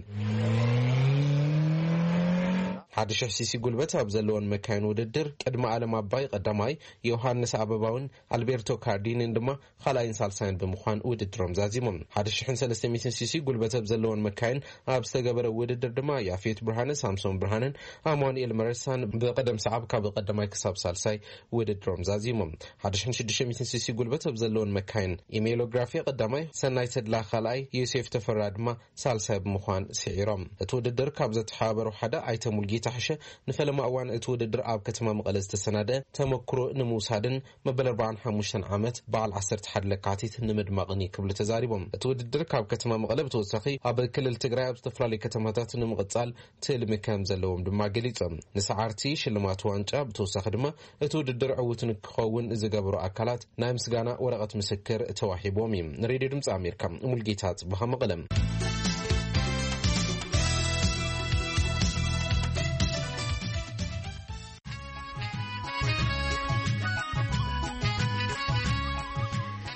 ሓደ ሺሕ ሲሲ ጉልበት ኣብ ዘለወን መካይን ውድድር ቅድሚ ኣለም ኣባይ ቀዳማይ፣ ዮሃንስ ኣበባውን ኣልቤርቶ ካርዲንን ድማ ካልኣይን ሳልሳይን ብምዃን ውድድሮም ዛዚሞም። ሓደ ሺሕን ሰለስተ ሚእትን ሲሲ ጉልበት ኣብ ዘለወን መካይን ኣብ ዝተገበረ ውድድር ድማ ያፌት ብርሃነ፣ ሳምሶን ብርሃነን ኣማኑኤል መረሳን ብቐደም ሰዓብ ካብ ቀዳማይ ክሳብ ሳልሳይ ውድድሮም ዛዚሞም። ሓደ ሺሕን ሽዱሽተ ሚእትን ሲሲ ጉልበት ኣብ ዘለወን መካይን ኢሜሎግራፊ ቀዳማይ፣ ሰናይ ተድላ ካልኣይ፣ ዮሴፍ ተፈራ ድማ ሳልሳይ ብምዃን ስዒሮም። እቲ ውድድር ካብ ዘተሓባበሩ ሓደ ኣይተ ሙልጌታ ሕሸ፣ ንፈለማ እዋን እቲ ውድድር ኣብ ከተማ መቐለ ዝተሰናደ ተመክሮ ንምውሳድን መበል ኣርባዓን ሓሙሽተን ዓመት በዓል ዓሰርተ ሓደ ለካቲት ንምድማቕን እዩ ክብሉ ተዛሪቦም። እቲ ውድድር ካብ ከተማ መቐለ ብተወሳኺ ኣብ ክልል ትግራይ ኣብ ዝተፈላለዩ ከተማታት ንምቕጻል ትልሚ ከም ዘለዎም ድማ ገሊጾም። ንሰዓርቲ ሽልማት ዋንጫ ብተወሳኺ ድማ እቲ ውድድር ዕዉት ንክኸውን ዝገበሩ ኣካላት ናይ ምስጋና ወረቐት ምስክር ተዋሂቦም እዩ። ንሬድዮ ድምፂ ኣሜሪካ ሙልጌታ ጽቡሃ መቐለም።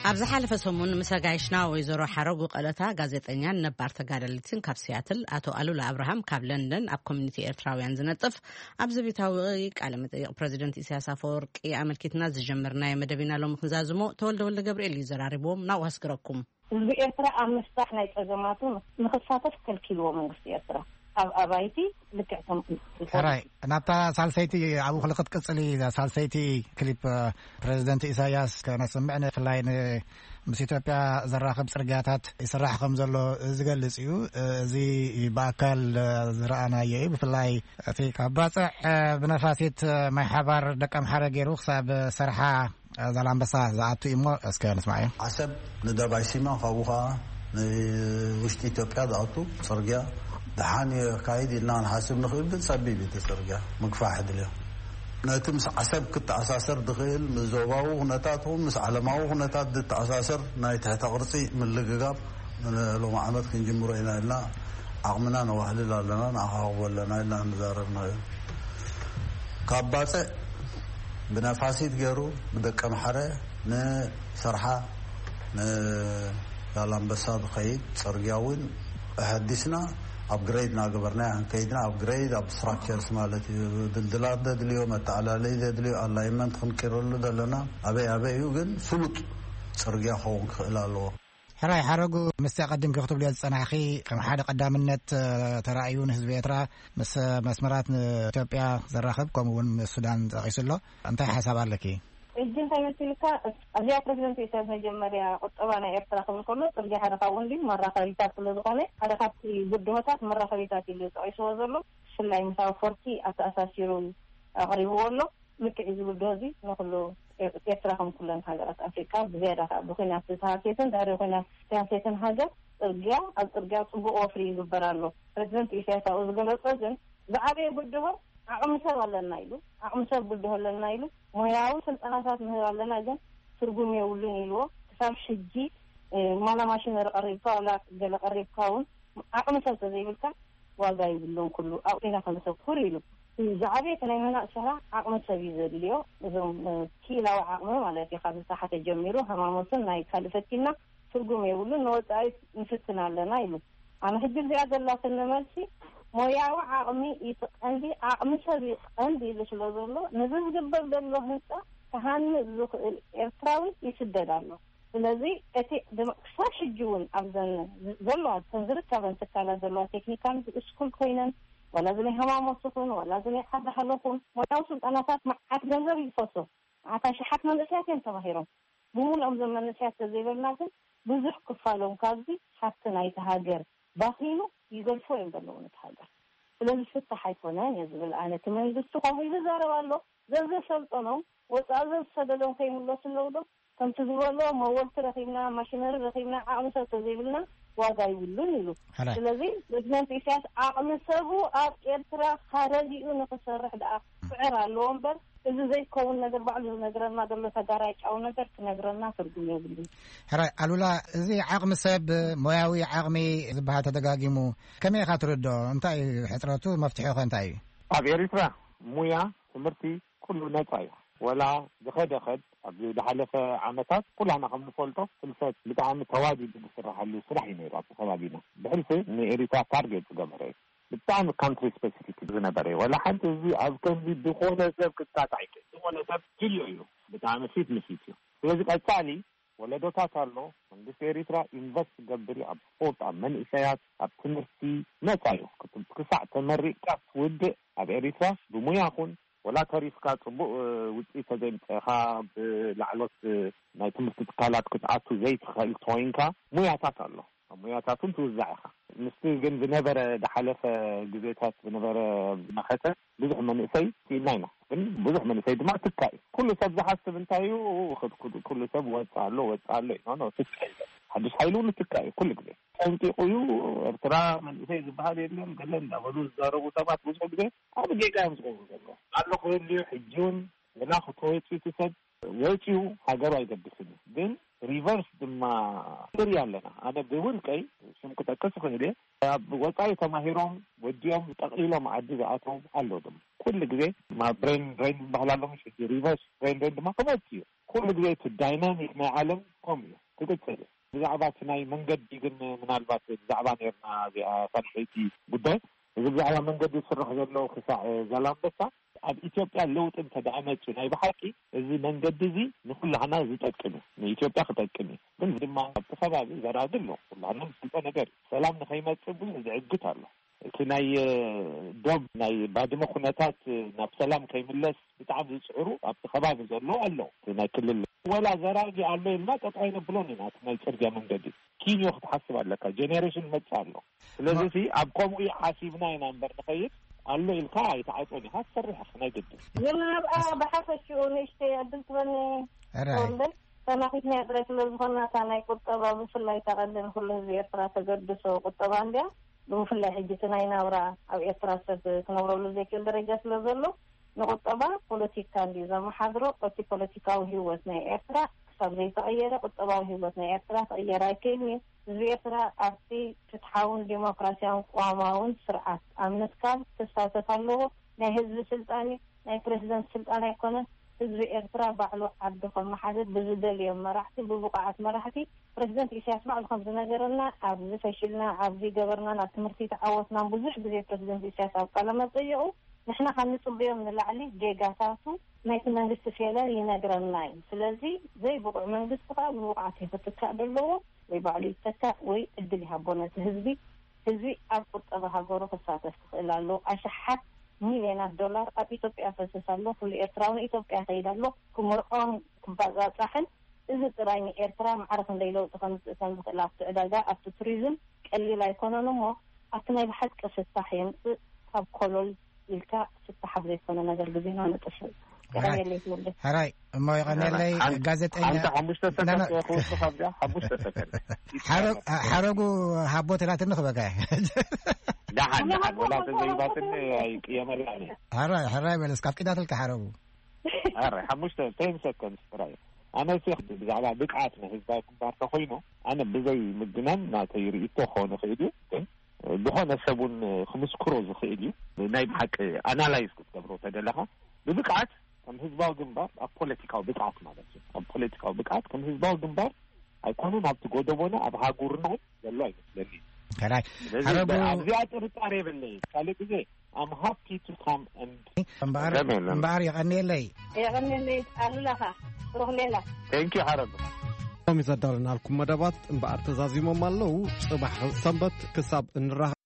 ኣብ ዝሓለፈ ሰሙን ምስ ኣጋይሽና ወይዘሮ ሓረጉ ቀለታ ጋዜጠኛን ነባር ተጋደልትን ካብ ሲያትል፣ ኣቶ ኣሉላ ኣብርሃም ካብ ለንደን ኣብ ኮሚኒቲ ኤርትራውያን ዝነጥፍ፣ ኣብዚ ቤታዊ ቃለ መጠይቕ ፕረዚደንት ኢሳያስ ኣፈወርቂ ኣመልኪትና ዝጀመርናዮ መደብ ኢና ሎሚ ክንዛዝሞ። ተወልደ ወልደ ገብርኤል እዩ ዘራሪብዎም። ናብኡ ኣስግረኩም። ህዝቢ ኤርትራ ኣብ ምፍታሕ ናይ ጸገማቱ ንኽሳተፍ ከልኪልዎ መንግስቲ ኤርትራ። ኣብ ኣባይቲ ልክዕ ከም ሕራይ፣ ናብታ ሳልሰይቲ ኣብኡ ክልክት ቅጽሊ፣ እዛ ሳልሰይቲ ክሊፕ ፕረዚደንት ኢሳያስ ከነስምዕ፣ ብፍላይ ን-፣ ምስ ኢትዮጵያ ዘራኽብ ጽርግያታት ይስራሕ ከም ዘሎ ዝገልጽ እዩ። እዚ ብኣካል ዝረኣናዮ እዩ። ብፍላይ እቲ ካብ ባጽዕ ብነፋሲት ማይ ሓባር ደቀምሓረ ገይሩ ክሳብ ሰርሓ ዛላምበሳ ዝኣቱ እዩ እሞ እስከ ንስማዕ እዩ። ዓሰብ ንደባይ ሲማ፣ ካብኡ ኸዓ ንውሽጢ ኢትዮጵያ ዝኣቱ ጽርግያ ደሓን እዩ የካይድ ኢልና ክንሓስብ ንኽእል፣ ግን ጸቢብ እዩ እቲ ጽርግያ፣ ምግፋሕ ድልዮ። ነቲ ምስ ዓሰብ ክተኣሳሰር ዝኽእል፣ ምስ ዞባዊ ኩነታት ይኹን ምስ ዓለማዊ ኩነታት ዝተኣሳሰር ናይ ትሕተ ቅርጺ ምልግጋብ ሎሚ ዓመት ክንጅምሮ ኢና ኢልና ዓቕምና ነዋህልል ኣለና፣ ንኣኻኽቦ ኣለና ኢልና ንዛረብናዮ። ካብ ባጽዕ ብነፋሲት ገይሩ ብደቀምሓረ ንሰርሓ ንዛላምበሳ ዝኸይድ ጽርግያ እውን ኣሐዲስና፣ ኣፕግሬድ እናገበርና ኢና ከይድና። ኣፕግሬድ ኣብ ስትራክቸርስ ማለት እዩ። ድልድላት ዘድልዮ፣ መተዓላለይ ዘድልዮ፣ ኣላይመንት ክንቅይረሉ ዘለና ኣበይ ኣበይ እዩ፣ ግን ፍሉጥ ጽርግያ ክኸውን ክኽእል ኣለዎ። ሕራይ ሓረጉ፣ ምስቲ ኣቐዲምኪ ክትብልዮ ዝጸናሕኺ፣ ከም ሓደ ቀዳምነት፣ እ፣ ተራእዩ ንህዝቢ ኤርትራ ምስ መስመራት ንኢትዮጵያ ዘራኽብ፣ ከምኡ እውን ምስ ሱዳን ጠቒሱ ኣሎ። እንታይ ሓሳብ ኣለኪ? ሕጂ እንታይ መሲልካ፣ ኣብዚኣ ፕረዚደንት ኢሳያስ መጀመርያ ቁጠባ ናይ ኤርትራ ክብል ከሎ፣ ጽርግያ ሓደ ካብኡ እንድዩ፣ መራኸቢታት ስለ ዝኾነ፣ ሓደ ካብቲ ብድሆታት መራኸቢታት ኢሉ ጠቒስዎ ዘሎ፣ ብፍላይ ምስ ኣፈወርቂ ኣተኣሳሲሩ ኣቕሪብዎ ኣሎ። ልክዕ እዚ ብድሆ እዚ ንኹሉ ኤር-፣ ኤርትራ ከም ኩለን ሃገራት ኣፍሪቃ ብዝያዳ ከኣ ብኹናት ዝተሃስየትን ድሕሪ ኹናት ዝተሃስየትን ሃገር ጽርግያ፣ ኣብ ጽርግያ ጽቡቕ ወፍሪ ይግበር ኣሎ። ፕረዚደንት ኢሳያስ ኣብኡ ዝገለጾ ግን ዝዓበየ ብድሆ ዓቕሚ ሰብ ኣለና ኢሉ፣ ዓቕሚ ሰብ ብድሆ ኣለና ኢሉ፣ ሞያዊ ስልጠናታት ንህብ ኣለና ግን ትርጉም የብሉን ኢልዎ። ክሳብ ሕጂ፣ እ፣ ዋላ ማሽነሪ ቀሪብካ ዋላ ገለ ቀሪብካ እውን ዓቕሚ ሰብ ተዘይብልካ ዋጋ የብሉን፣ ኩሉ ኣብኡ ኢና ከነተኩር ኢሉ። ዝዓበየ እቲ ናይ ምህናጽ ስራሕ ዓቕሚ ሰብ እዩ ዘድልዮ። እዞም፣ እ፣ ክኢላዊ ዓቕሚ ማለት እዩ፣ ካብ ዝተሓተ ጀሚሩ ሃማሞትን ናይ ካልእ ፈቲና ትርጉም የብሉን፣ ንወጻኢ ንፍትን ኣለና ኢሉ። ኣነ ሕጂ እዚኣ ዘላትኒ መልሲ ሞያዊ ዓቕሚ እዩ እቲ ቀንዲ፣ ዓቕሚ ሰብ እዩ ቀንዲ ኢሉ ስለ ዘሎ፣ ነዚ ዝግበር ዘሎ ህንጻ ክሃንጽ ዝኽእል ኤርትራዊ ይስደድ ኣሎ። ስለዚ እቲ ድማ ክሳብ ሕጂ እውን ኣብዘን ዘለዋ፣ እተን ዝርከበን ትካላት ዘለዋ ቴክኒካል ስኩል ኮይነን፣ ዋላ እዚ ናይ ሃማሞት ይኹን፣ ዋላ እዚ ናይ ዓዲ ሃለኹን፣ ሞያዊ ስልጠናታት መዓት ገንዘብ ይፈሶ፣ መዓት ኣሽሓት መንእሰያት እዮም ተማሂሮም። ብምሉኦም እዞም መንእሰያት ተዘይበልና ግን፣ ብዙሕ ክፋሎም ካብዚ ሃብቲ ናይቲ ሃገር ባኺኑ ይገድፎ እዮም ዘለዉ ነቲ ሃገር። ስለዚ ፍታሕ ኣይኮነን እየ ዝብል ኣነ። እቲ መንግስቲ ከምኡ ኢሉ ይዛረብ ኣሎ። ዘዘሰልጠኖም፣ ወፃኢ ዘዝሰደዶም ከይምለሱ ኣለዉ ዶ? ከምቲ ዝበሎ፣ መወልቲ ረኺብና፣ ማሽነሪ ረኺብና፣ ዓቕሚ ሰብ ተዘይብልና ዋጋ ይብሉን ኢሉ። ሕራይ። ስለዚ ፕሬዚደንት ኢሳያስ ዓቕሚ ሰቡ ኣብ ኤርትራ ካረዲኡ ንክሰርሕ ደኣ ክፅዕር ኣለዎ እምበር፣ እዚ ዘይከውን ነገር፣ ባዕሉ ዝነግረና ዘሎ ተጋራጫዊ ነገር ክነግረና ትርጉም የብሉን። ሕራይ ኣሉላ፣ እዚ ዓቕሚ ሰብ፣ ሞያዊ ዓቕሚ ዝበሃል ተደጋጊሙ፣ ከመይ ኢኻ ትርድኦ? እንታይ እዩ ሕፅረቱ? መፍትሒኸ እንታይ እዩ? ኣብ ኤሪትራ ሙያ፣ ትምህርቲ፣ ኩሉ ነጻ እዩ። ወላ ዝኸደ ኸድ፣ ኣብዚ ዝሓለፈ ዓመታት ኩላና ከም ንፈልጦ፣ ፍልሰት ብጣዕሚ ተዋዲዱ ዝስራሓሉ ስራሕ እዩ ነይሩ ኣብቲ ከባቢና። ብሕልፊ ንኤሪትራ ታርጌት ዝገበረ እዩ። ብጣዕሚ ካንትሪ ስፔሲፊክ ዝነበረ እዩ። ወላ ሓንቲ፣ እዚ ኣብ ከምዚ ዝኾነ ሰብ ክጣጣዕ ይክእል። ዝኾነ ሰብ ድልዮ እዩ። ብጣዕሚ ፊት ንፊት እዩ። ስለዚ ቀጻሊ ወለዶታት ኣሎ። መንግስቲ ኤሪትራ ኢንቨስት ክገብር እዩ ኣብ ስፖርት፣ ኣብ መንእሰያት፣ ኣብ ትምህርቲ። ነጻ እዩ። ክት-፣ ክሳዕ ተመሪቕካ ትውድእ ኣብ ኤሪትራ ብሙያ ኹን፣ ወላ ተሪፍካ ጽቡቕ፣ እ፣ ውጽኢት ተዘይምጸእኻ፣ ብላዕሎት፣ እ፣ ናይ ትምህርቲ ትካላት ክትኣቱ ዘይትኽእል ተወይንካ፣ ሙያታት ኣሎ። ኣብ ሙያታት እውን ትውዛዕ ኢኻ። ምስቲ ግን ዝነበረ፣ ዝሓለፈ ግዜታት ዝነበረ መኸተ፣ ብዙሕ መንእሰይ ስኢና ኢና። ግን ብዙሕ መንእሰይ ድማ ትካ እዩ። ኩሉ ሰብ ዝሓስብ እንታይ እዩ? ኩ-፣ ኩ-፣ ኩሉ ሰብ ወጻ ኣሎ፣ ወጻ ኣሎ እዩ። ኖ፣ ኖ፣ ትካ እዩ። ሓድሽ ሓይሊ እውን ትካ እዩ ኩሉ ግዜ። ጠንቂቑ እዩ። ኤርትራ መንእሰይ ዝበሃል የለን፣ ገለ እንዳበሉ ዝዛረቡ ሰባት ብዙሕ ግዜ ኣብ ጌጋ እዮም ዝገብሩ ዘለዉ። ኣሎ ክህልዩ ሕጂ እውን ገና ክተወፅኡ እቲ ሰብ ወፂኡ ሃገሩ ኣይገድስን እዩ። ግን ሪቨርስ ድማ ንርኢ ኣለና። ኣነ ብውልቀይ ሽም ክጠቅስ እኽእል እየ። ኣብ ወፃኢ ተማሂሮም ወዲኦም ጠቕሊሎም ዓዲ ዝኣተው ኣሎ ድማ። ኩሉ ግዜ ማ-፣ ብሬን ድሬን ዝበሃል ኣሎ፣ ምሽ? ሕጂ ሪቨርስ ብሬን ድሬን ድማ ክመፅእ እዩ። ኩሉ ግዜ እቲ ዳይናሚክ ናይ ዓለም ከምኡ እዩ፣ ክቅፅል እዩ። ብዛዕባ እቲ ናይ መንገዲ ግን ምናልባት ብዛዕባ ነርና እዚኣ ሳልሰይቲ ጉዳይ፣ እዚ ብዛዕባ መንገዲ ዝስራሕ ዘሎ ክሳዕ ዛላምበሳ ኣብ ኢትዮጵያ ለውጢ እንተ ደኣ መፅኡ ናይ ብሓቂ እዚ መንገዲ እዚ ንኩላህና ዝጠቅም እዩ፣ ንኢትዮጵያ ክጠቅም እዩ። ግን ድማ ኣብቲ ከባቢ ዘራጊ ኣሎ፣ ኩላህና ንፈልጦ ነገር እዩ። ሰላም ንኸይመፅእ ብዙሕ ዝዕግት ኣሎ። እቲ ናይ፣ እ፣ ዶብ ናይ ባድመ ኩነታት፣ እ፣ ናብ ሰላም ከይምለስ ብጣዕሚ ዝፅዕሩ ኣብቲ ከባቢ ዘለዉ ኣለዉ። እቲ ናይ ክልል ወላ ዘራጊ ኣሎ ኢልና ጠጠው ኣይነብሎን ኢና። እቲ ናይ ፅርግያ መንገዲ ኪንዮ ክትሓስብ ኣለካ። ጀኔሬሽን መፅእ ኣሎ። ስለዚ ማ- እቲ ኣብ ከምኡ ሓሲብና ኢና እምበር ንኸይድ ኣሎ ኢልካ ኣይትዓፅን ኢኻ። ትሰርሕ ኢኻ ናይ ግድን። ግን ኣብኣ ብሓፈሽኡ ንእሽተይ ዕድል ትበኒ ሕራይ። ኮንደል ተናኺትና ጥራይ ስለ ዝኾንና፣ እታ ናይ ቁጠባ ብፍላይ እታ ቀንዲ ንኩሉ ህዝቢ ኤርትራ ተገድሶ ቁጠባ እንድያ። ብፍላይ ሕጂ እቲ ናይ ናብራ ኣብ ኤርትራ ሰብ ክነብረሉ ዘይክእል ደረጃ ስለ ዘሎ፣ ንቁጠባ ፖለቲካ እንድዩ ዘመሓድሮ። እቲ ፖለቲካዊ ህይወት ናይ ኤርትራ ክሳብ ዘይተቐየረ፣ ቁጠባዊ ህይወት ናይ ኤርትራ ክቕየር ኣይክእልን እዩ። ህዝቢ ኤርትራ ኣብቲ ፍትሓውን ዲሞክራሲያውን ቅዋማውን ስርዓት ኣብ ምትካል ክሳተፍ ኣለዎ። ናይ ህዝቢ ስልጣን እዩ፣ ናይ ፕረዚደንት ስልጣን ኣይኮነን። ህዝቢ ኤርትራ ባዕሉ ዓዱ ከመሓድር ብዝደልዮም መራሕቲ፣ ብብቑዓት መራሕቲ፣ ፕረዚደንት ኢሳያስ ባዕሉ ከም ዝነገረና፣ ኣብዚ ፈሽልና፣ ኣብዚ ገበርናን ኣብ ትምህርቲ ተዓወትናን ብዙሕ ግዜ ፕረዚደንት ኢሳያስ ኣብ ቃለ መጠይቑ፣ ንሕና ካብ ንጽበዮም ንላዕሊ ጌጋታቱ ናይቲ መንግስቲ ፌለር ይነግረና እዩ። ስለዚ ዘይብቑዕ መንግስቲ ከኣ ብብቑዓት እዩ ክትካእ ዘለዎ፣ ወይ ባዕሉ ይተካእ ወይ ዕድል ይሃቦ ነቲ ህዝቢ። ህዝቢ ኣብ ቁጠባ ሃገሩ ክሳተፍ ክኽእል ኣለዎ። ኣሽሓት ሚልዮናት ዶላር ኣብ ኢትዮጵያ ፈስስ ኣሎ። ኩሉ ኤርትራዊ ንኢትዮጵያ ይኸይድ ኣሎ። ክምርዖን ክባጻጻሕን፣ እዚ ጥራይ ንኤርትራ ማዕረ ክንደይ ለውጢ ከምጽእ ከም ዝኽእል ኣብቲ ዕዳጋ፣ ኣብቲ ቱሪዝም ቀሊል ኣይኮነን እሞ፣ ኣብቲ ናይ ብሓቂ ፍታሕ የምጽእ። ካብ ኮሎል ኢልካ ፍታሕ ኣብ ዘይኮነ ነገር ግዜና ነጥፍእ። ሕራይ። የቐንየለይ ትወልደ። ሕራይ፣ እሞ የቐንየለይ። ሓን-፣ ጋዜጠኛ ሓንቲ ሓሙሽተ ሰከንድ ናና-፣ ክወስድ ካብዚኣ፣ ሓሙሽተ ሰከንድ። ሓረ-፣ ሓረጉ ሃቦ ትላትኒ ክበካ። ደሓን፣ ደሓን፣ ወላ ተዘይባትኒ ኣይቅየመላን እየ። ሕራይ፣ ሕራይ በል እስከ፣ ኣፍቂዳትልካ ሓረጉ። ሕራይ፣ ሓሙሽተ፣ ቴን ሰከንድ ጥራይ። ኣነ እሲ ብዛዕባ ብቕዓት ናይ ህዝባዊ ግንባር ተኾይኑ፣ ኣነ ብዘይ ምግናን ናተይ ርእይቶ ክኸውን ይኽእል እዩ፣ ግን ዝኾነ ሰብ እውን ክምስክሮ ዝኽእል እዩ። ናይ ብሓቂ ኣናላይዝ ክትገብሮ ተደለኻ፣ ብብቕዓት ከም ህዝባዊ ግንባር፣ ኣብ ፖለቲካዊ ብቕዓት ማለት እዩ፣ ኣብ ፖለቲካዊ ብቕዓት ከም ህዝባዊ ግንባር ኣይኮነን ኣብቲ ጎደቦና፣ ኣብ ሃጉርና ዘሎ ኣይመስለኒ። ከላይ ስለዚ ሓረጉ ኣብዚኣ ጥርጣሬ የብለይ። ካልእ ግዜ I'm happy to come and እምበኣር ከም የለን። እምበኣር የቐንየለይ። የቐንየለይ ኣሉላኻ ሩኽሌላ። Thank you ሓረጉ። ሎሚ ዘዳለናልኩም መደባት እምበኣር ተዛዚሞም ኣለዉ። ጽባሕ ሰንበት ክሳብ እንራኸብ።